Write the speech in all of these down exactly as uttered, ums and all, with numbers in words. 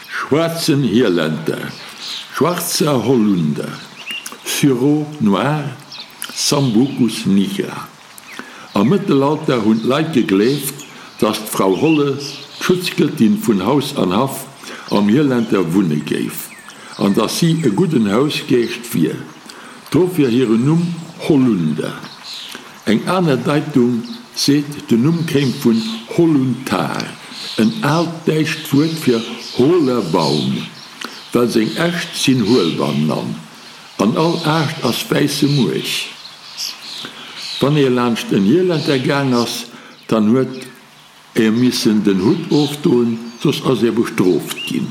Schwaarzen Hielentter, Schwarzer Holunder, Sureau noir, Sambucus nigra. Am Mëttelalter hunn d'Leit gegleeft, dass d'Frau Holle, d'Schutzgëttin vun Haus an Haff, am Hielentter wunne géif an dass si e gudden Hausgeescht wier. Dofir hiren Numm Holunder. Eng aner Deitung seet, den Numm kéim vun Holuntar, en aalt däitscht Wuert fir hohler Baum, well seng Äscht sinn huel bannan an all Aascht ass wäisse Muerch. Wann ee laanscht en Hielentter gaang ass, dann huet ee missen den Hutt ofdoen, soss ass ee bestrooft ginn.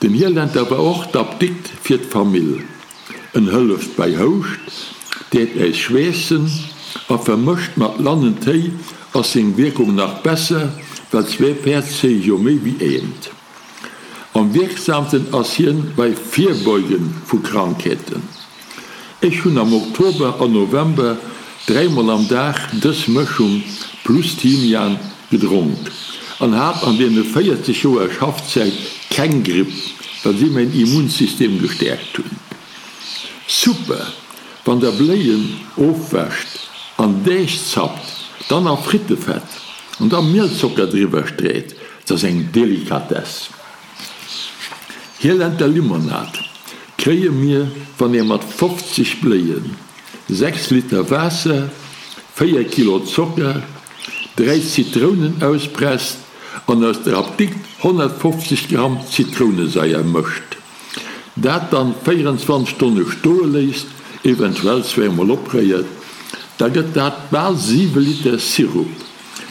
Den Hielentter war och d'Apdikt fir d'Famill. En hëlleft bei Houscht, deet äis schweessen a vermëscht mat Lannentéi ass seng Wierkung nach besser, well zwee Päerd zéie jo méi wéi eent. Am wierksamsten ass hien bei Virbeuge vu Krankheeten. Ech hunn am Oktober an November dräimol am Dag dës Mëschung plus Thymian gedronk an hat an deene véierzeg Joer Schaffzäit keng Gripp, well si mäin Immunsystem gestäerkt hunn. Super, wann der Bléien ofwäscht, an Deeg zappt, dann a Frittefett an da Mielzocker driwwer street, 't ass eng Delikatess. Hielentter Limonad kréie mir, wann ee mat fofzeg Bléien, sechs Liter Waasser, véier Kilo Zocker, dräi Zitrounen auspresst an aus der Apdikt honnertfofzeg Gramm Zitrounesaier mëscht. Dat dann véierenzwanzeg Stonne stoe léisst, eventuell zweemol opréiert, da gëtt dat bal siwe Liter Sirup.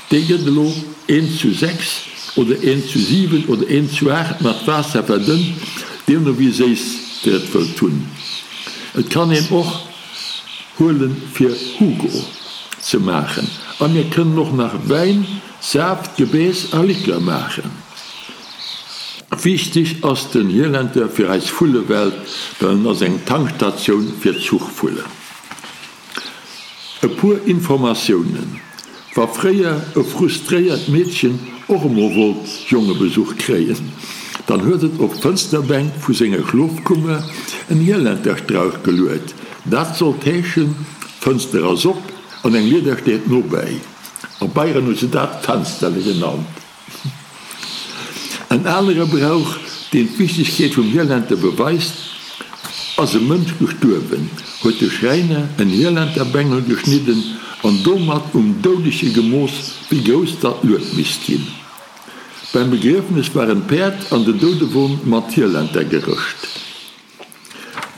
Dee gëtt elo eent zu sechs oder eent zu siwen oder eent zu aacht mat Waasser verdënnt, deemno wéi séiss der et wëllt hunn. Et kann een och huelen fir Hugo ze maachen a mir kënnen och nach Wäin, Saaft, Gebääss a Likör maachen. Wichteg ass den Hielentter fir eis Vullewelt, well en ass eng Tankstatioun fir d'Zuchvullen. E puer Informatiounen, Wa fréier e frustréiert Meedchen och emol wollt Jongebesuch kréien, dann huet et op d'Fënsterbänk vu senger Schlofkummer en Hielenterstrauch geluet. Dat sollt heeschen, D'Fënster ass op an eng Lieder steet nobäi. A Bayern hu se dat Fensterle genannt. En anere Brauch, deen d'Wichtegkeet vum Hielentter beweist, Ass e Mënsch gestuerwen, huet de Schräiner en Hielenterbengel geschnidden an domat um Doudege gemooss, wéi grouss datt Lued misst ginn. Beim Begriefnes waren d'Päerd an den Doudewon mat Hielentter gerëscht.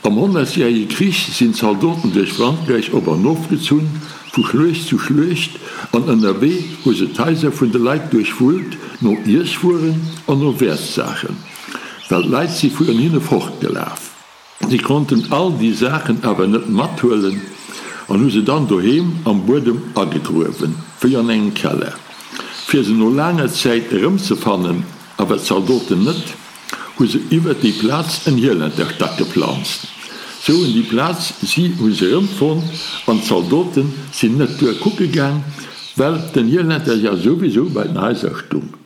Am Honnertjärege Krich sinn Zaldoten duerch Frankräich op an of gezunn, vu Schluecht zu Schluecht, an ënnerwee hu se d'Haiser vun de Leit duerchwullt no Iesswueren an no Wäertsaachen, well d'Leit si virun hinne fortgelaf. Si konnten all déi Saachen awer net mathuelen an hu se dann doheem am Buedem agegruewen, wéi an engem Keller. Fir se no laanger Zäit erëmzefannen, awer d'Zaldoten net, hu se iwwert déi Plaz en Hielenterstack geplanzt. Sou hunn déi Plaz, si hu se erëmfonnt an d'Zaldoten sinn net duer kucke gaang, well den Hielentercher souwisou bei den Haiser stung.